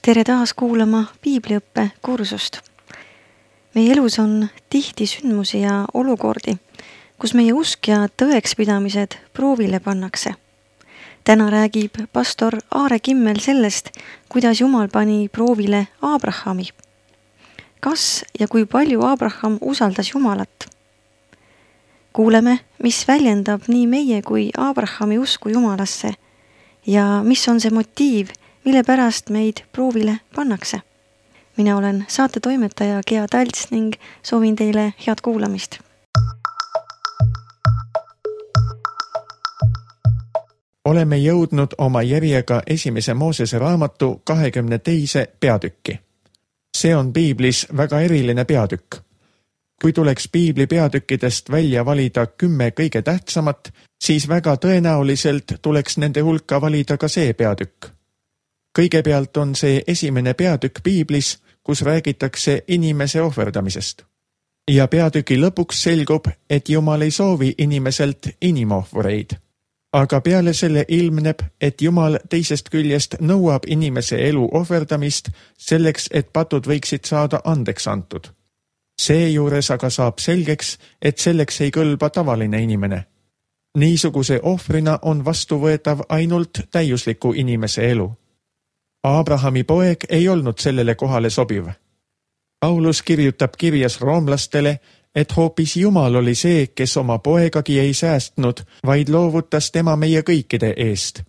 Tere taas kuulama piibliõppe kursust. Meie elus on tihti sündmusi ja olukordi, kus meie usk ja tõekspidamised proovile pannakse. Täna räägib pastor Aare Kimmel sellest, kuidas Jumal pani proovile Abrahami. Kas ja kui palju Abraham usaldas Jumalat? Kuuleme, mis väljendab nii meie kui Abrahami usku Jumalasse ja mis on see motiiv, mille pärast meid proovile pannakse. Mina olen saatetoimetaja Gea Talts ning soovin teile head kuulamist. Oleme jõudnud oma järjega esimese Moosese raamatu 22. peatükki. See on piiblis väga eriline peatükk. Kui tuleks piibli peatükkidest välja valida 10 kõige tähtsamat, siis väga tõenäoliselt tuleks nende hulka valida ka see peatükk. Kõigepealt on see esimene peatükk piiblis, kus räägitakse inimese ohverdamisest. Ja peatüki lõpuks selgub, et Jumal ei soovi inimeselt inimohvureid. Aga peale selle ilmneb, et Jumal teisest küljest nõuab inimese elu ohverdamist selleks, et patud võiksid saada andeks antud. Seejuures aga saab selgeks, et selleks ei kõlba tavaline inimene. Niisuguse ohvrina on vastuvõetav ainult täiusliku inimese elu. Abrahami poeg ei olnud sellele kohale sobiv. Paulus kirjutab kirjas roomlastele, et hoopis Jumal oli see, kes oma poegagi ei säästnud, vaid loovutas tema meie kõikide eest.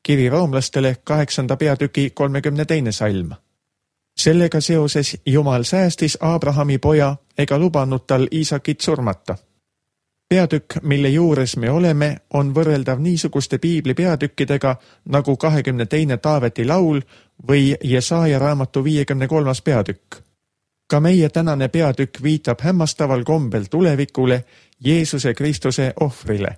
Kiri roomlastele 8. peatüki 32. salm. Sellega seoses Jumal säästis Abrahami poja ega lubanud tal Iisakit surmata. Peatükk, mille juures me oleme, on võrreldav niisuguste piibli peatükkidega nagu 22. Taaveti laul või Jesaja raamatu 53. peatükk. Ka meie tänane peatükk viitab hämmastaval kombel tulevikule, Jeesuse Kristuse ohvrile.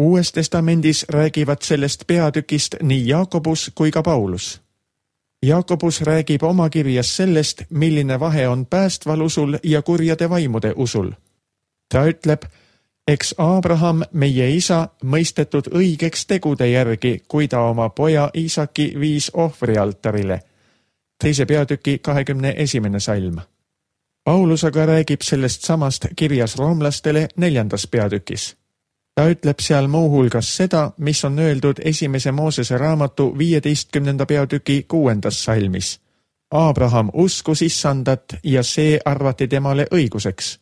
Uues testamendis räägivad sellest peatükist nii Jaakobus kui ka Paulus. Jaakobus räägib oma kirjas sellest, milline vahe on päästval usul ja kurjade vaimude usul. Ta ütleb, eks Abraham, meie isa, mõistetud õigeks tegude järgi, kui ta oma poja Iisaki viis ohvrialtarile. 2. peatüki 21. salm. Paulus aga räägib sellest samast kirjas roomlastele 4. peatükis. Ta ütleb seal muuhulgas seda, mis on öeldud 1. Moosese raamatu 15. peatüki 6. salmis. Abraham uskus Issandat ja see arvati temale õiguseks.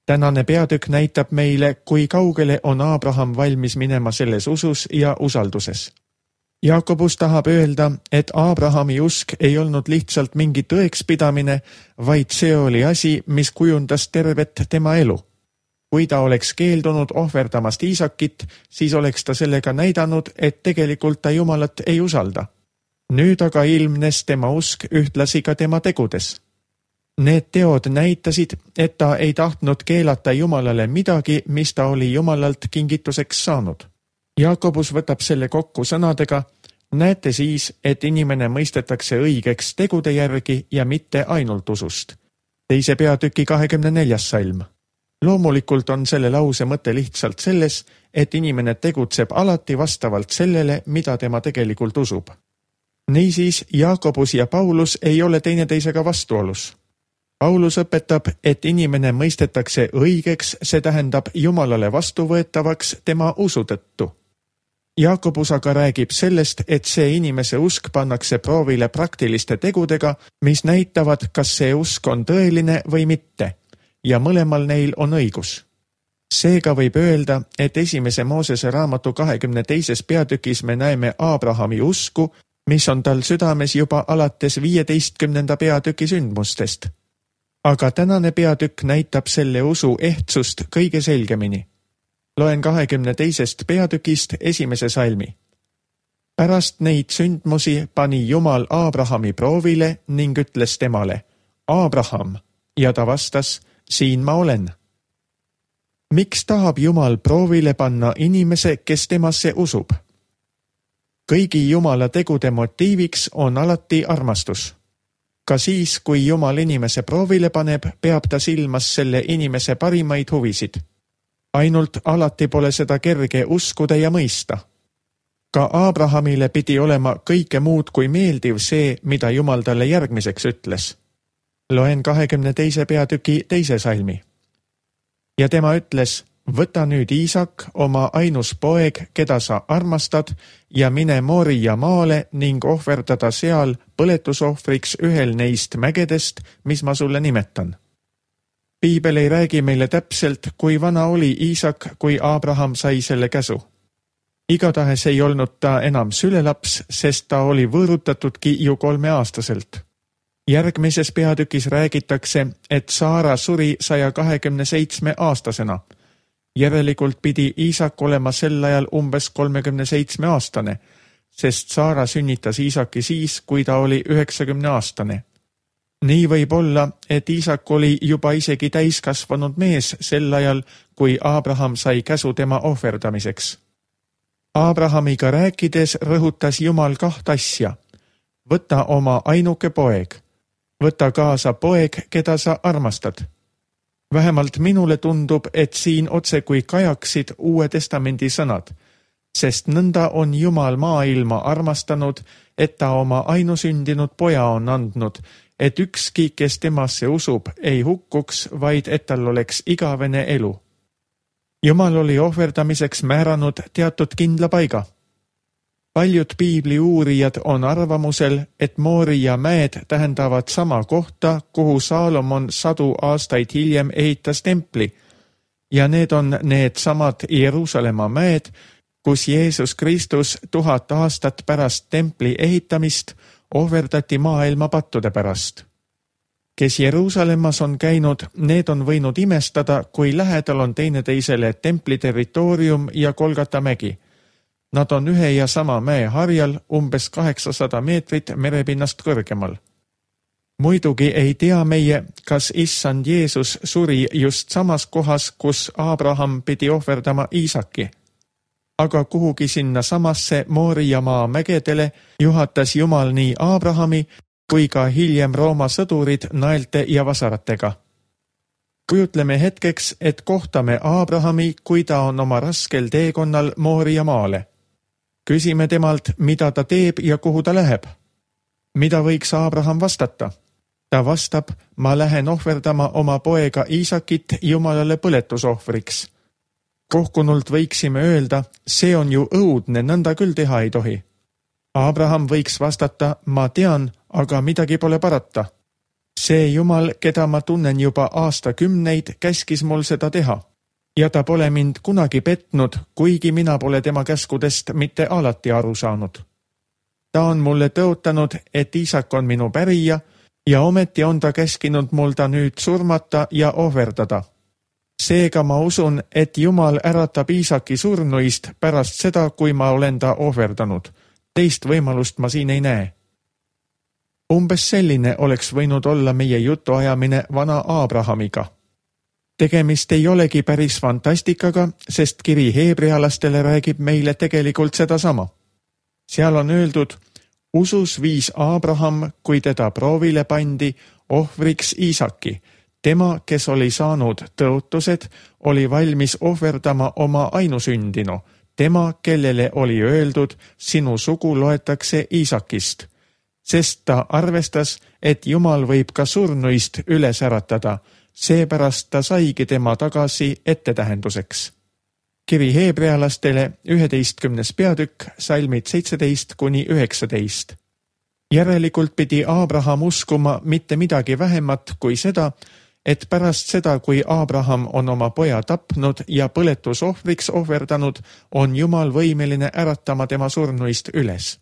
Tänane peatükk näitab meile, kui kaugele on Abraham valmis minema selles usus ja usalduses. Jaakobus tahab öelda, et Abrahami usk ei olnud lihtsalt mingi tõekspidamine, vaid see oli asi, mis kujundas tervet tema elu. Kui ta oleks keeldunud ohverdamast Iisakit, siis oleks ta sellega näidanud, et tegelikult ta Jumalat ei usalda. Nüüd aga ilmnes tema usk ühtlasi ka tema tegudes. Need teod näitasid, et ta ei tahtnud keelata Jumalale midagi, mis ta oli Jumalalt kingituseks saanud. Jaakobus võtab selle kokku sõnadega, näete siis, et inimene mõistetakse õigeks tegude järgi ja mitte ainult usust. 2. peatüki 24. salm. Loomulikult on selle lause mõte lihtsalt selles, et inimene tegutseb alati vastavalt sellele, mida tema tegelikult usub. Niisiis, Jaakobus ja Paulus ei ole teineteisega vastuolus. Paulus õpetab, et inimene mõistetakse õigeks, see tähendab Jumalale vastuvõetavaks tema usu tõttu. Jaakobus aga räägib sellest, et see inimese usk pannakse proovile praktiliste tegudega, mis näitavad, kas see usk on tõeline või mitte, ja mõlemal neil on õigus. Seega võib öelda, et 1. Moosese raamatu 22. peatükis me näeme Abrahami usku, mis on tal südames juba alates 15. peatüki sündmustest. Aga tänane peatükk näitab selle usu ehtsust kõige selgemini. Loen 22. peatükist 1. salmi. Pärast neid sündmusi pani Jumal Abrahami proovile ning ütles temale, Abraham, ja ta vastas, siin ma olen. Miks tahab Jumal proovile panna inimese, kes temasse usub? Kõigi Jumala tegude motiiviks on alati armastus. Ka siis, kui Jumal inimese proovile paneb, peab ta silmas selle inimese parimaid huvisid. Ainult alati pole seda kerge uskuda ja mõista. Ka Abrahamile pidi olema kõike muud kui meeldiv see, mida Jumal talle järgmiseks ütles. Loen 22. peatüki 2. salmi. Ja tema ütles, võta nüüd Iisak, oma ainus poeg, keda sa armastad, ja mine Moria maale ning ohverdada seal põletusohvriks ühel neist mägedest, mis ma sulle nimetan. Piibel ei räägi meile täpselt, kui vana oli Iisak, kui Abraham sai selle käsu. Igatahes ei olnud ta enam sülelaps, sest ta oli võõrutatudki ju 3-aastaselt. Järgmises peatükis räägitakse, et Saara suri 127-aastasena. Järelikult pidi Iisak olema sel ajal umbes 37-aastane, sest Saara sünnitas Iisaki siis, kui ta oli 90-aastane. Nii võib olla, et Iisak oli juba isegi täiskasvanud mees sel ajal, kui Abraham sai käsu tema ohverdamiseks. Abrahamiga rääkides rõhutas Jumal 2 asja. Võta oma ainuke poeg. Võta kaasa poeg, keda sa armastad. Vähemalt minule tundub, et siin otse kui kajaksid Uue Testamendi sõnad, sest nõnda on Jumal maailma armastanud, et ta oma ainusündinud poja on andnud, et ükski, kes temasse usub, ei hukkuks, vaid et tal oleks igavene elu. Jumal oli ohverdamiseks määranud teatud kindla paiga. Paljud piibli uurijad on arvamusel, et Moria mäed tähendavad sama kohta, kuhu Saalomon 100 aastaid hiljem ehitas templi, ja need on need samad Jeruusalemma mäed, kus Jeesus Kristus 1000 aastat pärast templi ehitamist ohverdati maailma pattude pärast. Kes Jeruusalemmas on käinud, need on võinud imestada, kui lähedal on teineteisele templi territoorium ja Golgata mägi. Nad on ühe ja sama mäe harjal umbes 800 meetrit merepinnast kõrgemal. Muidugi ei tea meie, kas issand Jeesus suri just samas kohas, kus Abraham pidi ohverdama Iisaki. Aga kuhugi sinna samasse Moria maa mägedele juhatas Jumal nii Abrahami kui ka hiljem Rooma sõdurid naelte ja vasaratega. Kujutleme hetkeks, et kohtame Abrahami, kui ta on oma raskel teekonnal Moria maale. Küsime temalt, mida ta teeb ja kuhu ta läheb. Mida võiks Abraham vastata? Ta vastab, ma lähen ohverdama oma poega Iisakit Jumalale põletusohvriks. Kohkunult võiksime öelda, see on ju õudne, nõnda küll teha ei tohi. Abraham võiks vastata, ma tean, aga midagi pole parata. See Jumal, keda ma tunnen juba aastakümneid, käskis mul seda teha. Ja ta pole mind kunagi petnud, kuigi mina pole tema käskudest mitte alati aru saanud. Ta on mulle tõotanud, et Iisak on minu pärija ja ometi on ta käskinud mul ta nüüd surmata ja ohverdada. Seega ma usun, et Jumal äratab Iisaki surnuist pärast seda, kui ma olen ta ohverdanud. Teist võimalust ma siin ei näe. Umbes selline oleks võinud olla meie jutuajamine vana Abrahamiga. Tegemist ei olegi päris fantastikaga, sest kiri heebrealastele räägib meile tegelikult sedasama. Seal on öeldud, usus viis Abraham, kui teda proovile pandi, ohvriks Iisaki. Tema, kes oli saanud tõotused, oli valmis ohverdama oma ainusündinu. Tema, kellele oli öeldud, sinu sugu loetakse Iisakist. Sest ta arvestas, et Jumal võib ka surnuist üles äratada, seepärast ta saigi tema tagasi ettetähenduseks. Kiri heebrealastele 11. peatükk, salmid 17–19. Järelikult pidi Abraham uskuma mitte midagi vähemat kui seda, et pärast seda, kui Abraham on oma poja tapnud ja põletusohvriks ohverdanud, on Jumal võimeline äratama tema surnuist üles.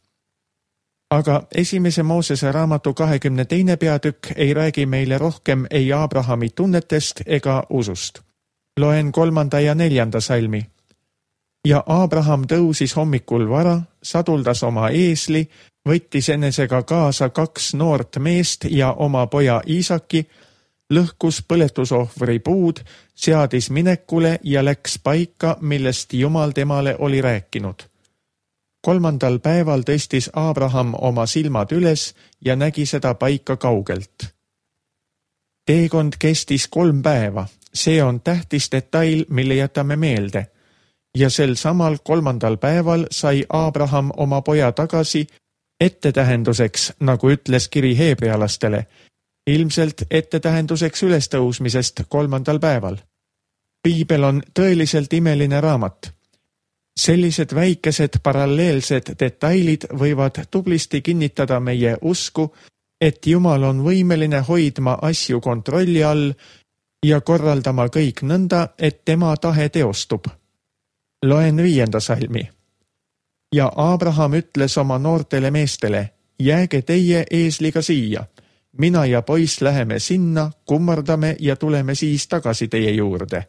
Aga 1. Moosese raamatu 22. peatükk ei räägi meile rohkem ei Abrahami tunnetest ega usust. Loen 3. ja 4. salmi. Ja Abraham tõusis hommikul vara, saduldas oma eesli, võttis enesega kaasa 2 noort meest ja oma poja Iisaki, lõhkus põletusohvri puud, seadis minekule ja läks paika, millest Jumal temale oli rääkinud. 3. päeval tõstis Abraham oma silmad üles ja nägi seda paika kaugelt. Teekond kestis 3 päeva. See on tähtis detail, mille jätame meelde. ja sel samal 3. päeval sai Abraham oma poja tagasi ettetähenduseks, nagu ütles kiri heebrealastele, ilmselt ettetähenduseks ülestõusmisest 3. päeval. Piibel on tõeliselt imeline raamat. Sellised väikesed paralleelsed detailid võivad tublisti kinnitada meie usku, et Jumal on võimeline hoidma asju kontrolli all ja korraldama kõik nõnda, et tema tahe teostub. Loen 5. salmi. Ja Abraham ütles oma noortele meestele, jääge teie eesliga siia. Mina ja poiss läheme sinna, kummardame ja tuleme siis tagasi teie juurde.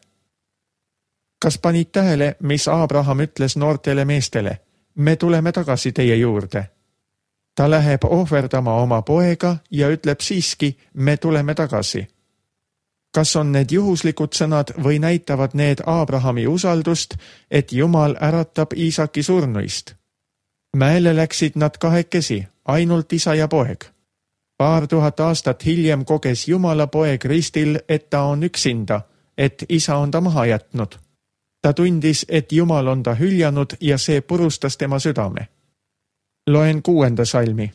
Kas panid tähele, mis Abraham ütles noortele meestele? Me tuleme tagasi teie juurde. Ta läheb ohverdama oma poega ja ütleb siiski, me tuleme tagasi. Kas on need juhuslikud sõnad või näitavad need Abrahami usaldust, et Jumal äratab Iisaki surnuist? Mäele läksid nad kahekesi, ainult isa ja poeg. Paar tuhat aastat hiljem koges Jumala poeg ristil, et ta on üksinda, et isa on ta maha jätnud. Ta tundis, et Jumal on ta hüljanud ja see purustas tema südame. Loen 6. salmi.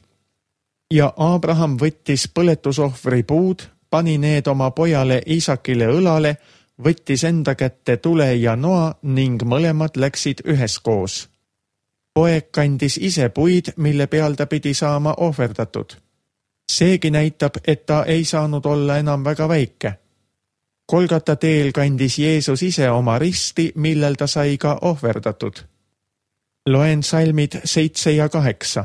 Ja Abraham võttis põletusohvri puud, pani need oma pojale Iisakile õlale, võttis enda kätte tule ja noa ning mõlemad läksid üheskoos. Poeg kandis ise puid, mille peal ta pidi saama ohverdatud. Seegi näitab, et ta ei saanud olla enam väga väike. Golgata teel kandis Jeesus ise oma risti, millel ta sai ka ohverdatud. Loen salmid 7 ja 8.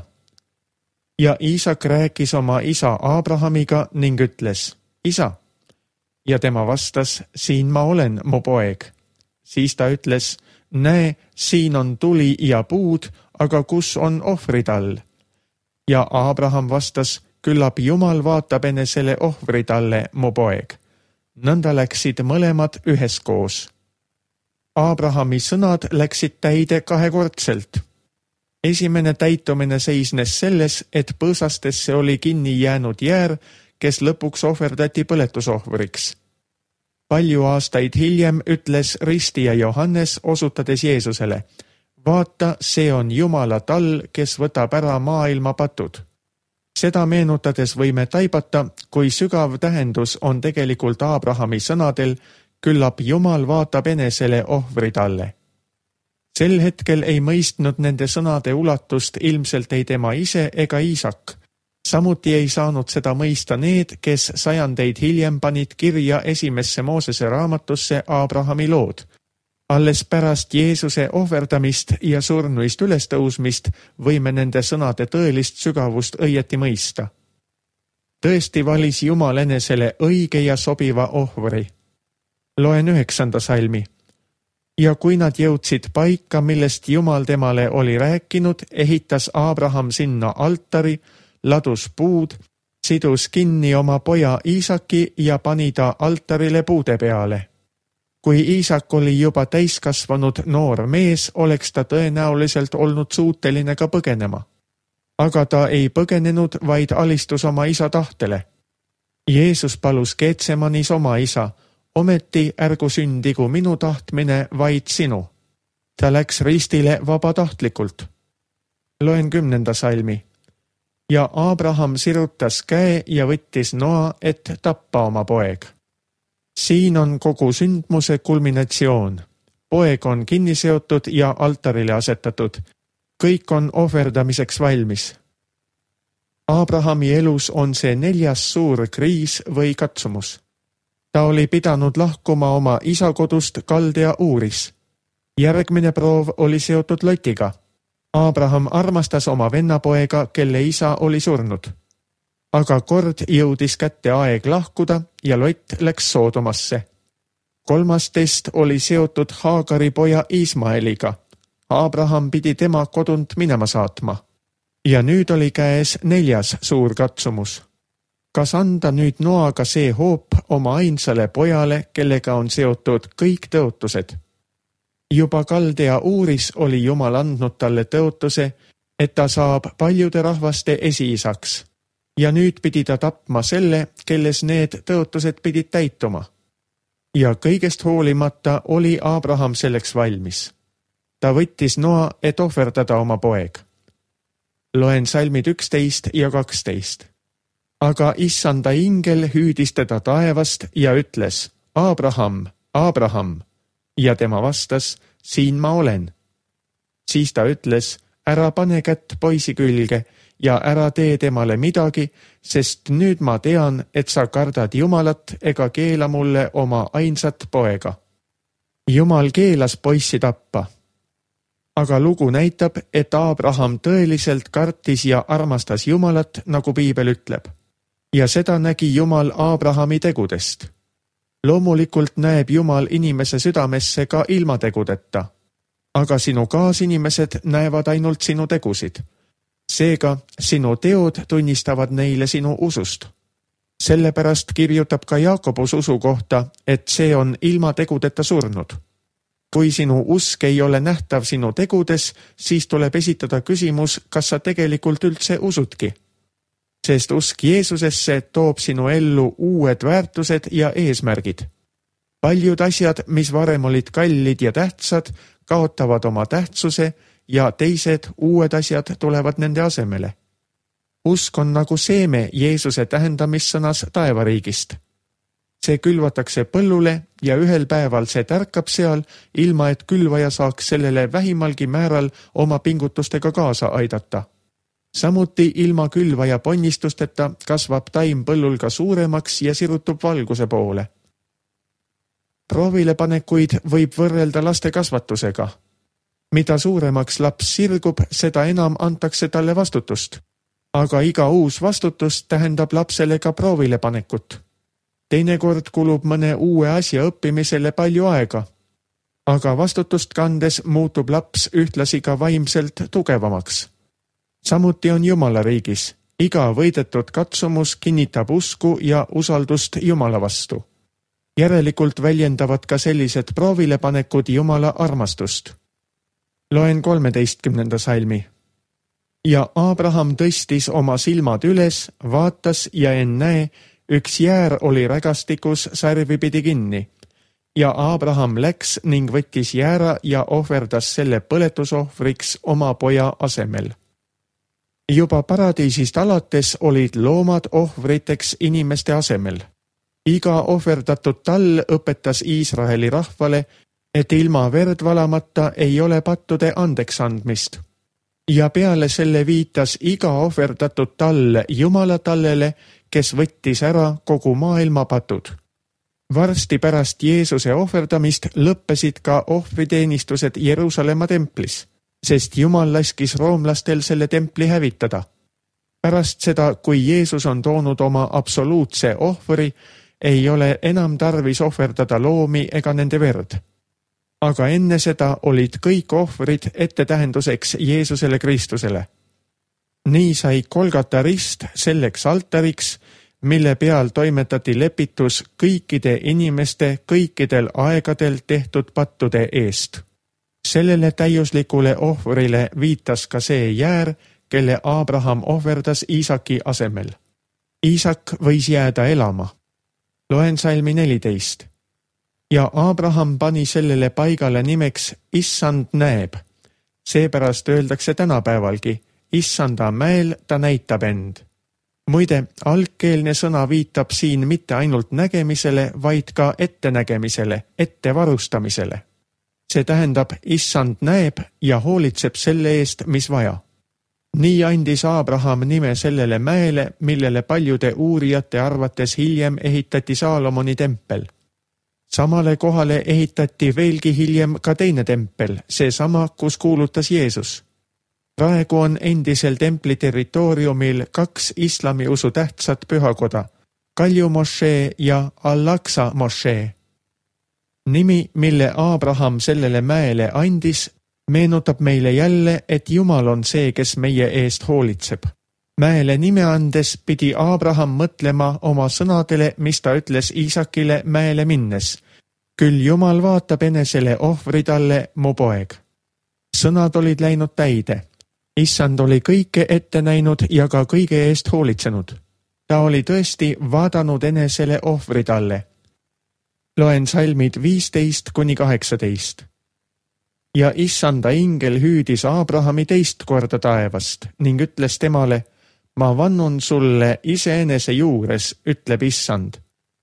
Ja Iisak rääkis oma isa Abrahamiga ning ütles, isa. Ja tema vastas, siin ma olen, mu poeg. Siis ta ütles, näe, siin on tuli ja puud, aga kus on ohvrid all? Ja Abraham vastas, küllap Jumal vaatab enesele ohvrid alle, mu poeg. Nõnda läksid mõlemad üheskoos. Abrahami sõnad läksid täide kahekordselt. Esimene täitumine seisnes selles, et põõsastesse oli kinni jäänud jäär, kes lõpuks ohverdati põletusohvriks. Palju aastaid hiljem ütles ristija Johannes, osutades Jeesusele, vaata, see on Jumala tall, kes võtab ära maailma patud. Seda meenutades võime taibata, kui sügav tähendus on tegelikult Abrahami sõnadel, küllap Jumal vaatab enesele ohvrid alle. Sel hetkel ei mõistnud nende sõnade ulatust ilmselt ei tema ise ega Iisak. Samuti ei saanud seda mõista need, kes sajandeid hiljem panid kirja esimesse Moosese raamatusse Abrahami lood. Alles pärast Jeesuse ohverdamist ja surnuist ülestõusmist võime nende sõnade tõelist sügavust õieti mõista. Tõesti valis Jumal enesele õige ja sobiva ohvri. Loen 9. salmi. Ja kui nad jõudsid paika, millest Jumal temale oli rääkinud, ehitas Abraham sinna altari, ladus puud, sidus kinni oma poja Iisaki ja pani ta altarile puude peale. Kui Iisak oli juba täiskasvanud noor mees, oleks ta tõenäoliselt olnud suuteline ka põgenema. Aga ta ei põgenenud, vaid alistus oma isa tahtele. Jeesus palus Getsemanis oma isa, ometi ärgu sündigu minu tahtmine, vaid sinu. Ta läks ristile vabatahtlikult. Loen 10. salmi. Ja Abraham sirutas käe ja võttis noa, et tappa oma poeg. Siin on kogu sündmuse kulminatsioon. Poeg on kinni seotud ja altarile asetatud. Kõik on ohverdamiseks valmis. Abrahami elus on see 4. suur kriis või katsumus. Ta oli pidanud lahkuma oma isa kodust Kaldea Uuris. Järgmine proov oli seotud Lotiga. Abraham armastas oma vennapoega, kelle isa oli surnud. Aga kord jõudis kätte aeg lahkuda ja Lot läks Soodomasse. 3. test oli seotud Haagari poja Ismaeliga. Abraham pidi tema kodunt minema saatma. Ja nüüd oli käes 4. suur katsumus. Kas anda nüüd noaga see hoop oma ainsale pojale, kellega on seotud kõik tõotused? Juba Kaldea Uuris oli Jumal andnud talle tõotuse, et ta saab paljude rahvaste esiisaks. Ja nüüd pidi ta tapma selle, kelles need tõotused pidid täituma. Ja kõigest hoolimata oli Abraham selleks valmis. ta võttis noa, et ohverdada oma poeg. Loen salmid 11 ja 12. Aga issanda ingel hüüdis teda taevast ja ütles, Abraham, Abraham, ja tema vastas, siin ma olen. Siis ta ütles, ära pane kätt poisi külge ja ära tee temale midagi, sest nüüd ma tean, et sa kardad Jumalat ega keela mulle oma ainsat poega. Jumal keelas poissi tappa. Aga lugu näitab, et Abraham tõeliselt kartis ja armastas Jumalat, nagu piibel ütleb. Ja seda nägi Jumal Abrahami tegudest. Loomulikult näeb Jumal inimese südamesse ka ilma tegudeta. Aga sinu kaasinimesed näevad ainult sinu tegusid. Seega sinu teod tunnistavad neile sinu usust. Sellepärast kirjutab ka Jaakobus usu kohta, et see on ilma tegudeta surnud. Kui sinu usk ei ole nähtav sinu tegudes, siis tuleb esitada küsimus, kas sa tegelikult üldse usudki. Sest usk Jeesusesse toob sinu ellu uued väärtused ja eesmärgid. Paljud asjad, mis varem olid kallid ja tähtsad, kaotavad oma tähtsuse ja teised uued asjad tulevad nende asemele. Usk on nagu seeme Jeesuse tähendamissõnas taevariigist. See külvatakse põllule ja ühel päeval see tärkab seal, ilma et külvaja saaks sellele vähimalgi määral oma pingutustega kaasa aidata. Samuti ilma külvaja ponnistusteta kasvab taim põllul ka suuremaks ja sirutub valguse poole. Proovilepanekuid võib võrrelda laste kasvatusega. Mida suuremaks laps sirgub, seda enam antakse talle vastutust. Aga iga uus vastutus tähendab lapsele ka proovilepanekut. Teinekord kulub mõne uue asja õppimisele palju aega. Aga vastutust kandes muutub laps ühtlasi ka vaimselt tugevamaks. Samuti on Jumala riigis. Iga võidetud katsumus kinnitab usku ja usaldust Jumala vastu. Järelikult väljendavad ka sellised proovilepanekud Jumala armastust. Loen 13. salmi. Ja Abraham tõstis oma silmad üles, vaatas ja ennäe, üks jäär oli rägastikus sarvipidi kinni. Ja Abraham läks ning võttis jäära ja ohverdas selle põletusohvriks oma poja asemel. Juba paradiisist alates olid loomad ohvriteks inimeste asemel. Iga ohverdatud tall õpetas Iisraeli rahvale, et ilma verd valamata ei ole pattude andeks andmist. Ja peale selle viitas iga ohverdatud tall Jumala tallele, kes võttis ära kogu maailma patud. Varsti pärast Jeesuse ohverdamist lõppesid ka ohvriteenistused Jeruusalemma templis, sest Jumal laskis roomlastel selle templi hävitada. Pärast seda, kui Jeesus on toonud oma absoluutse ohvri, ei ole enam tarvis ohverdada loomi ega nende verd. Aga enne seda olid kõik ohvrid ettetähenduseks Jeesusele Kristusele. Nii sai Golgata rist selleks altariks, mille peal toimetati lepitus kõikide inimeste kõikidel aegadel tehtud pattude eest. Sellele täiuslikule ohvrile viitas ka see jäär, kelle Abraham ohverdas Iisaki asemel. Iisak võis jääda elama. Loen salmi 14. Ja Abraham pani sellele paigale nimeks Issand näeb. Seepärast öeldakse tänapäevalgi, Issanda mäel ta näitab end. Muide, algkeelne sõna viitab siin mitte ainult nägemisele, vaid ka ettenägemisele, ettevarustamisele. See tähendab, Issand näeb ja hoolitseb selle eest, mis vaja. Nii andis Abraham nime sellele mäele, millele paljude uurijate arvates hiljem ehitati Saalomoni tempel. Samale kohale ehitati veelgi hiljem ka teine tempel, seesama, kus kuulutas Jeesus. Praegu on endisel templi territooriumil 2 islamiusu tähtsat pühakoda, Kalju mošee ja Al-Aqsa mošee. Nimi, mille Abraham sellele mäele andis, meenutab meile jälle, et Jumal on see, kes meie eest hoolitseb. Mäele nime andes pidi Abraham mõtlema oma sõnadele, mis ta ütles Iisakile mäele minnes. Küll Jumal vaatab enesele ohvri talle, mu poeg. Sõnad olid läinud täide. Issand oli kõike ette näinud ja ka kõige eest hoolitsenud. Ta oli tõesti vaadanud enesele ohvri talle. Loen salmid 15-18. Ja issanda ingel hüüdis Abrahami teist korda taevast ning ütles temale, ma vannun sulle iseenese juures, ütleb issand,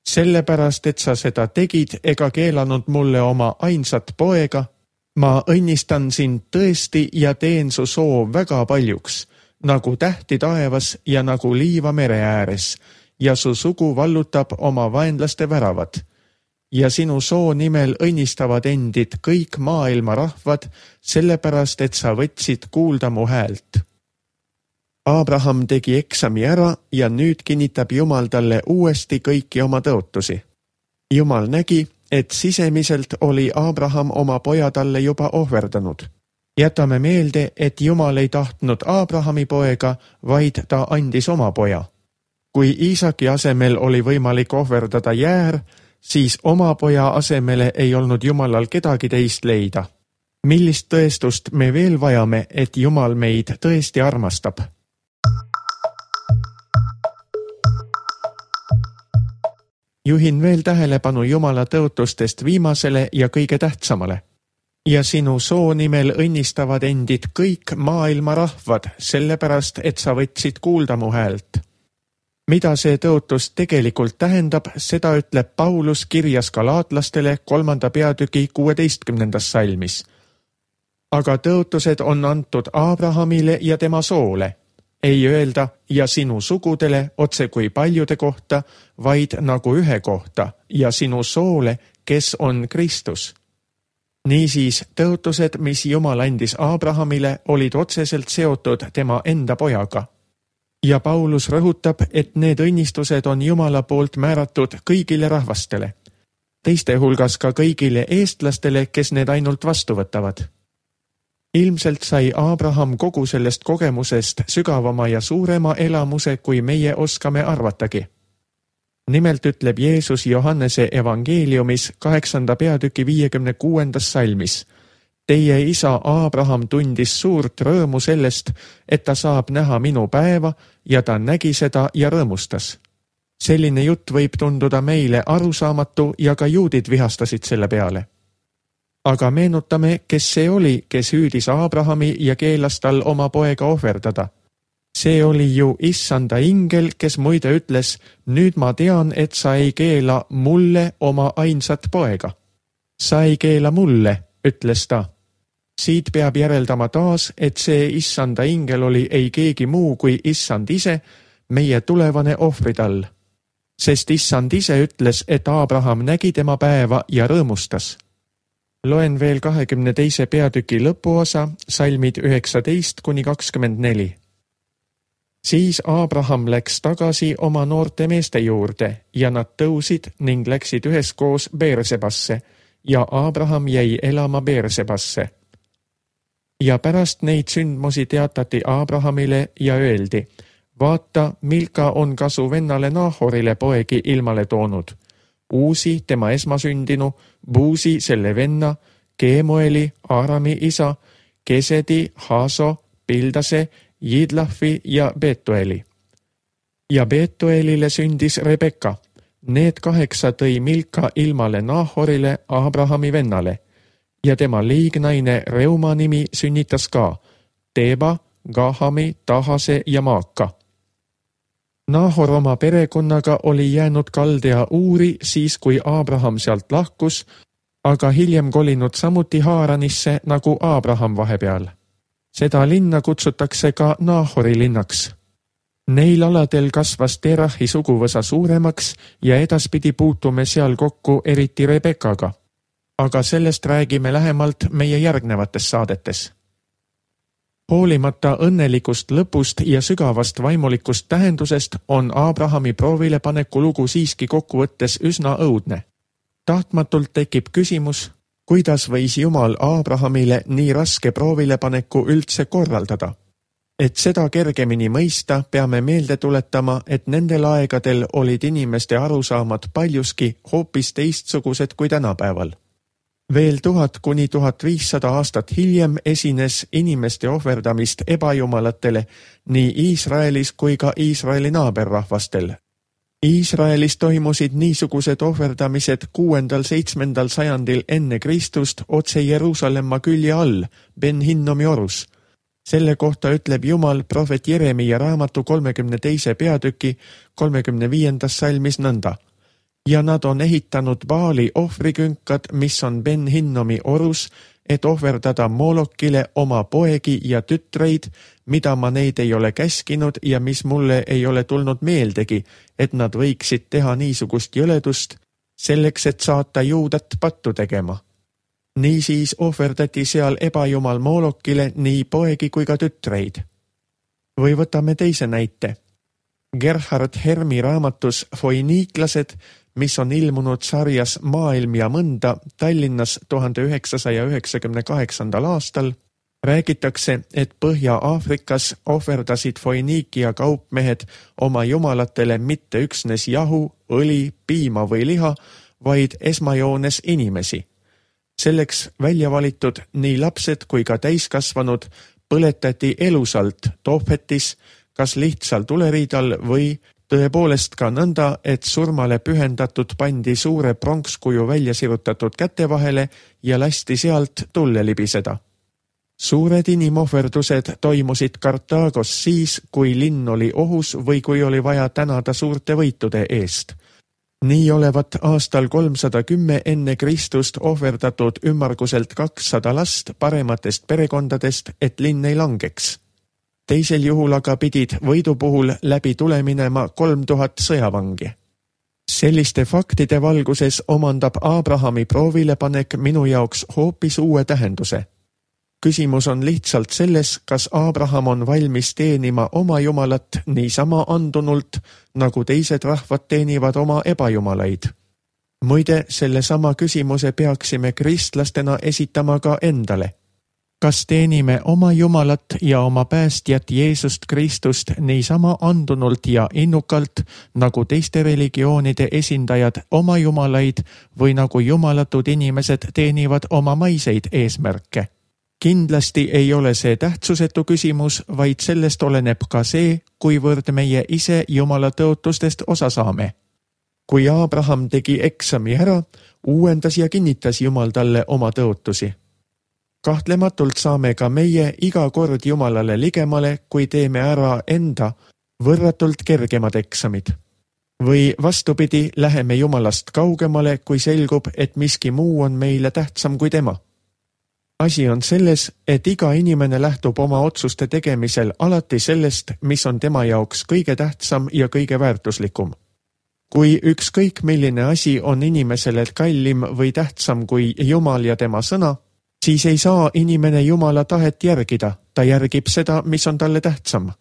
sellepärast, et sa seda tegid ega keelanud mulle oma ainsat poega, ma õnnistan sind tõesti ja teen su soo väga paljuks, nagu tähti taevas ja nagu liiva mere ääres, ja su sugu vallutab oma vaenlaste väravad. Ja sinu soo nimel õnnistavad endid kõik maailma rahvad, sellepärast, et sa võtsid kuulda mu häält. Abraham tegi eksami ära ja nüüd kinnitab Jumal talle uuesti kõiki oma tõotusi. Jumal nägi, et sisemiselt oli Abraham oma poja talle juba ohverdanud. Jätame meelde, et Jumal ei tahtnud Abrahami poega, vaid ta andis oma poja. Kui Iisaki asemel oli võimalik ohverdada jäär, siis oma poja asemele ei olnud Jumalal kedagi teist leida. Millist tõestust me veel vajame, et Jumal meid tõesti armastab? Juhin veel tähelepanu Jumala tõotustest viimasele ja kõige tähtsamale. Ja sinu soo nimel õnnistavad endid kõik maailma rahvad, sellepärast, et sa võtsid kuulda mu häält. Mida see tõotus tegelikult tähendab, seda ütleb Paulus kirjas galaatlastele 3. peatüki 16. salmis. Aga tõotused on antud Abrahamile ja tema soole. Ei öelda ja sinu sugudele otse kui paljude kohta, vaid nagu ühe kohta ja sinu soole, kes on Kristus. Niisiis, tõotused, mis Jumal andis Abrahamile, olid otseselt seotud tema enda pojaga. Ja Paulus rõhutab, et need õnnistused on Jumala poolt määratud kõigile rahvastele. Teiste hulgas ka kõigile eestlastele, kes need ainult vastu võtavad. Ilmselt sai Abraham kogu sellest kogemusest sügavama ja suurema elamuse, kui meie oskame arvatagi. Nimelt ütleb Jeesus Johannese evangeeliumis 8. peatüki 56. salmis. Teie isa Abraham tundis suurt rõõmu sellest, et ta saab näha minu päeva ja ta nägi seda ja rõõmustas. Selline jutt võib tunduda meile arusaamatu ja ka juudid vihastasid selle peale. Aga meenutame, kes see oli, kes hüüdis Abrahami ja keelas tal oma poega ohverdada. See oli ju issanda ingel, kes muide ütles, nüüd ma tean, et sa ei keela mulle oma ainsat poega. Sa ei keela mulle, ütles ta. Siit peab järeldama taas, et see issanda ingel oli ei keegi muu kui issand ise, meie tulevane ohvritall. Sest issand ise ütles, et Abraham nägi tema päeva ja rõõmustas. Loen veel 22. peatüki lõpuosa, salmid 19-24. Siis Abraham läks tagasi oma noorte meeste juurde ja nad tõusid ning läksid üheskoos Beersebasse ja Abraham jäi elama Beersebasse. Ja pärast neid sündmusi teatati Abrahamile ja öeldi, vaata, Milka on ka su vennale Nahorile poegi ilmale toonud. Uusi, tema esmasündinu, Buusi, selle venna, Keemueli, Aarami isa, Kesedi, Haaso, Pildase, Jidlafi ja Betueli. Ja Betuelile sündis Rebekka. Need 8 tõi Milka ilmale Nahorile, Abrahami vennale. Ja tema liignaine Reuma nimi sünnitas ka Teba, Gahami, Tahase ja Maaka. Nahor oma perekonnaga oli jäänud Kaldea Uuri siis, kui Abraham sealt lahkus, aga hiljem kolinud samuti Haaranisse nagu Abraham vahepeal. Seda linna kutsutakse ka Nahori linnaks. Neil aladel kasvas Terahi suguvõsa suuremaks ja edaspidi puutume seal kokku eriti Rebekaga. Aga sellest räägime lähemalt meie järgnevates saadetes. Hoolimata õnnelikust lõpust ja sügavast vaimulikust tähendusest on Abrahami proovilepaneku lugu siiski kokkuvõttes üsna õudne. Tahtmatult tekib küsimus, kuidas võis Jumal Abrahamile nii raske proovilepaneku üldse korraldada. Et seda kergemini mõista, peame meelde tuletama, et nendel aegadel olid inimeste arusaamad paljuski hoopis teistsugused kui tänapäeval. Veel 1000–1500 aastat hiljem esines inimeste ohverdamist ebajumalatele nii Iisraelis kui ka Iisraeli naaberrahvastel. Iisraelis toimusid niisugused ohverdamised 6.–7. sajandil enne Kristust otse Jeruusalemma külje all, Ben Hinnomi orus. Selle kohta ütleb Jumal prohvet Jeremiia raamatu 32. peatüki 35. salmis nõnda. Ja nad on ehitanud Baali ohvrikünkad, mis on Ben Hinnomi orus, et ohverdada Molokile oma poegi ja tütreid, mida ma neid ei ole käskinud ja mis mulle ei ole tulnud meeldegi, et nad võiksid teha niisugust jõledust, selleks et saata Juudat pattu tegema. Niisiis ohverdati seal ebajumal Molokile nii poegi kui ka tütreid. Või võtame teise näite. Gerhard Hermi raamatus Foiniiklased, mis on ilmunud sarjas Maailm ja mõnda Tallinnas 1998. aastal, räägitakse, et Põhja-Aafrikas ohverdasid Foiniikia kaupmehed oma jumalatele mitte üksnes jahu, õli, piima või liha, vaid esmajoones inimesi. Selleks välja valitud nii lapsed kui ka täiskasvanud põletati elusalt Tophetis, kas lihtsal tuleriidal või tõepoolest ka nõnda, et surmale pühendatud pandi suure pronkskuju välja sirutatud käte vahele ja lasti sealt tulle libiseda. Suured inimohverdused toimusid Kartaagos siis, kui linn oli ohus või kui oli vaja tänada suurte võitude eest. Nii olevat aastal 310 enne Kristust ohverdatud ümmarguselt 200 last parematest perekondadest, et linn ei langeks. Teisel juhul aga pidid võidu puhul läbi tule minema 3000 sõjavangi. Selliste faktide valguses omandab Abrahami proovilepanek minu jaoks hoopis uue tähenduse. Küsimus on lihtsalt selles, kas Abraham on valmis teenima oma jumalat niisama andunult, nagu teised rahvad teenivad oma ebajumalaid. Muide, sellesama küsimuse peaksime kristlastena esitama ka endale. Kas teenime oma Jumalat ja oma päästjat Jeesust Kristust niisama andunult ja innukalt, nagu teiste religioonide esindajad oma jumalaid või nagu jumalatud inimesed teenivad oma maiseid eesmärke? Kindlasti ei ole see tähtsusetu küsimus, vaid sellest oleneb ka see, kuivõrd meie ise Jumala tõotustest osa saame. Kui Abraham tegi eksami ära, uuendas ja kinnitas Jumal talle oma tõotusi. Kahtlematult saame ka meie iga kord Jumalale ligemale, kui teeme ära enda võrratult kergemad eksamid. Või vastupidi, läheme Jumalast kaugemale, kui selgub, et miski muu on meile tähtsam kui tema. Asi on selles, et iga inimene lähtub oma otsuste tegemisel alati sellest, mis on tema jaoks kõige tähtsam ja kõige väärtuslikum. Kui ükskõik milline asi on inimesele kallim või tähtsam kui Jumal ja tema sõna, siis ei saa inimene Jumala tahet järgida, ta järgib seda, mis on talle tähtsam.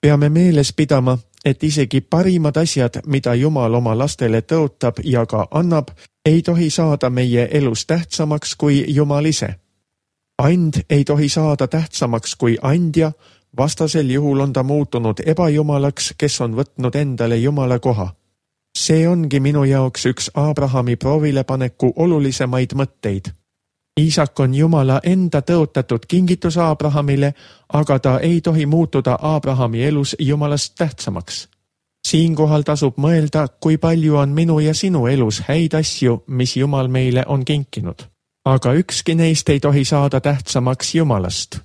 Peame meeles pidama, et isegi parimad asjad, mida Jumal oma lastele tõotab ja ka annab, ei tohi saada meie elus tähtsamaks kui Jumal ise. And ei tohi saada tähtsamaks kui andja, vastasel juhul on ta muutunud ebajumalaks, kes on võtnud endale Jumala koha. See ongi minu jaoks üks Abrahami proovilepaneku olulisemaid mõtteid. Iisak on Jumala enda tõotatud kingitus Abrahamile, aga ta ei tohi muutuda Abrahami elus Jumalast tähtsamaks. Siinkohal tasub mõelda, kui palju on minu ja sinu elus häid asju, mis Jumal meile on kinkinud. Aga ükski neist ei tohi saada tähtsamaks Jumalast.